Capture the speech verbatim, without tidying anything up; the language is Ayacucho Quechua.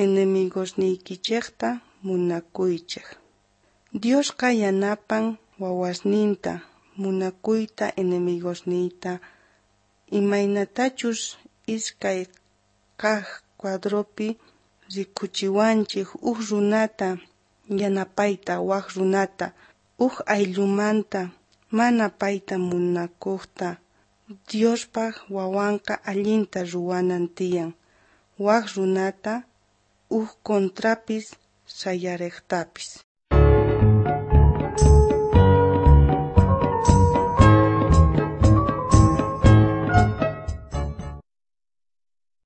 Enemigosniykichejta munakuychej. Diosqa yanapan wawasninta munakuyta enemigosniyta imaynatachus iskay kaq cuadropi rikuchiwanchik uj runata yanapayta wak runata uj ayllumanta mana payta munakuqta. Diospaq wawanqa allinta ruwanan tiyan wak runata uj contrapis sayariqtapis.